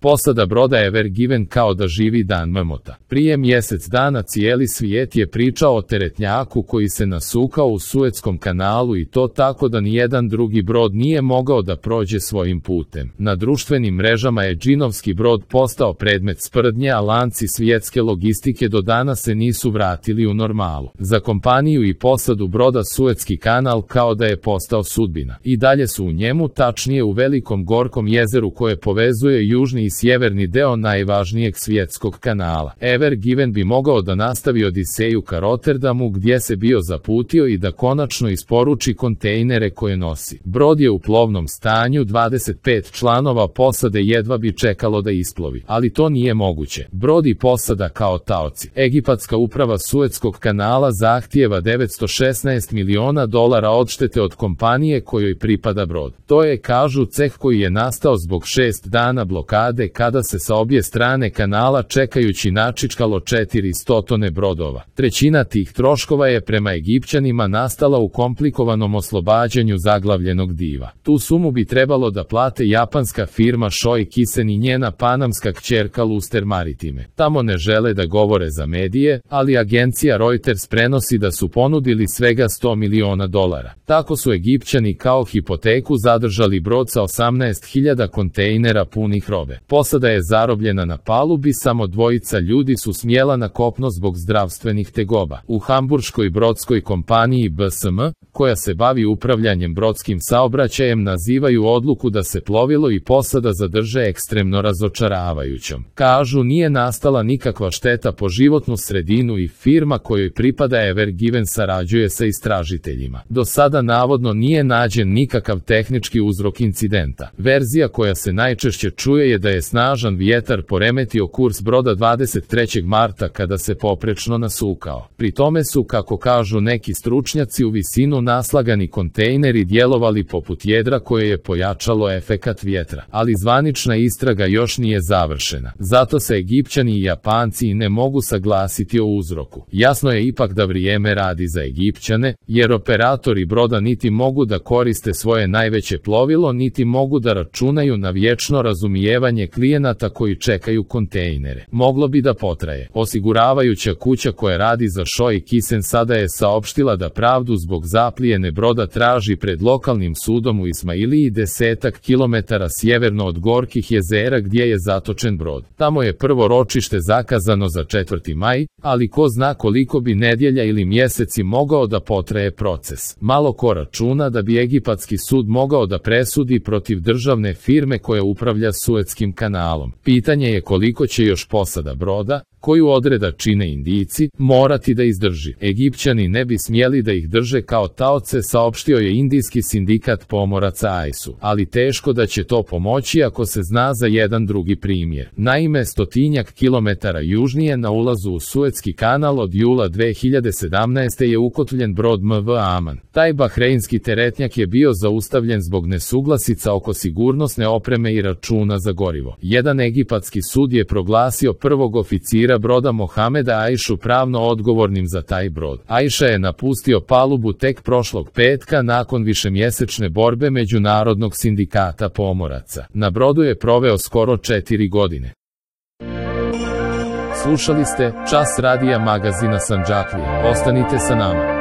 Posada broda Ever Given kao da živi dan mrmota. Prije mjesec dana cijeli svijet je pričao o teretnjaku koji se nasukao u Suetskom kanalu i to tako da nijedan drugi brod nije mogao da prođe svojim putem. Na društvenim mrežama je džinovski brod postao predmet sprdnje, a lanci svjetske logistike do danas se nisu vratili u normalu. Za kompaniju i posadu broda Suetski kanal kao da je postao sudbina. I dalje su u njemu, tačnije u velikom gorkom jezeru koje povezuje južni i sjeverni deo najvažnijeg svjetskog kanala. Ever Given bi mogao da nastavi odiseju ka Rotterdamu gdje se bio zaputio i da konačno isporuči kontejnere koje nosi. Brod je u plovnom stanju, 25 članova posade jedva bi čekalo da isplovi, ali to nije moguće. Brod i posada kao taoci. Egipatska uprava Suetskog kanala zahtijeva $916 miliona odštete od kompanije kojoj pripada brod. To je, kažu, ceh koji je nastao zbog 6 dana blokade kada se sa obje strane kanala čekajući načičkalo 400 brodova. Trećina tih troškova je prema Egipćanima nastala u komplikovanom oslobađanju zaglavljenog diva. Tu sumu bi trebalo da plate japanska firma Shoei Kisen i njena panamska kćerka Luster Maritime. Tamo ne žele da govore za medije, ali agencija Reuters prenosi da su ponudili svega $100 miliona. Tako su Egipćani kao hipoteku zadržali brod sa 18.000 kontejnera punih robe. Posada je zarobljena na palubi, samo dvojica ljudi su smjela na kopno zbog zdravstvenih tegoba. U hamburškoj brodskoj kompaniji BSM, koja se bavi upravljanjem brodskim saobraćajem, nazivaju odluku da se plovilo i posada zadrže ekstremno razočaravajućom. Kažu, nije nastala nikakva šteta po životnu sredinu i firma kojoj pripada Ever Given sarađuje sa istražiteljima. Do sada navodno nije nađen nikakav tehnički uzrok incidenta. Verzija koja se najčešće čuje je da je snažan vjetar poremetio kurs broda 23. marta kada se poprečno nasukao. Pri tome su, kako kažu neki stručnjaci, u visinu naslagani kontejneri djelovali poput jedra koje je pojačalo efekat vjetra. Ali zvanična istraga još nije završena. Zato se Egipćani i Japanci ne mogu saglasiti o uzroku. Jasno je ipak da vrijeme radi za Egipćane, jer operatori broda niti mogu da koriste svoje najveće plovilo, niti mogu da računaju na vječno razumijevanje klijenata koji čekaju kontejnere. Moglo bi da potraje. Osiguravajuća kuća koja radi za Shoei Kisen sada je saopštila da pravdu zbog zaplijene broda traži pred lokalnim sudom u Ismailiji, 10 kilometara sjeverno od Gorkih jezera gdje je zatočen brod. Tamo je prvo ročište zakazano za 4. maj, ali ko zna koliko bi nedjelja ili mjeseci mogao da potraje proces. Malo ko računa da bi egipatski sud mogao da presudi protiv državne firme koja upravlja Suetskim kanalom. Pitanje je koliko će još posada broda, koju odreda čine Indijci, morati da izdrži. Egipćani ne bi smjeli da ih drže kao taoce, saopštio je indijski sindikat pomoraca AISU. Ali teško da će to pomoći ako se zna za jedan drugi primjer. Naime, 100 kilometara južnije na ulazu u Suetski kanal od jula 2017. je ukotvljen brod MV Aman. Taj bahreinski teretnjak je bio zaustavljen zbog nesuglasica oko sigurnosne opreme i računa za gorivo. Jedan egipatski sud je proglasio prvog oficira broda Mohameda Aišu pravno odgovornim za taj brod. Aiša je napustio palubu tek prošlog petka nakon višemjesečne borbe Međunarodnog sindikata pomoraca. Na brodu je proveo skoro 4 godine. Slušali ste Čas radija magazina Sandžaklije. Ostanite sa nama.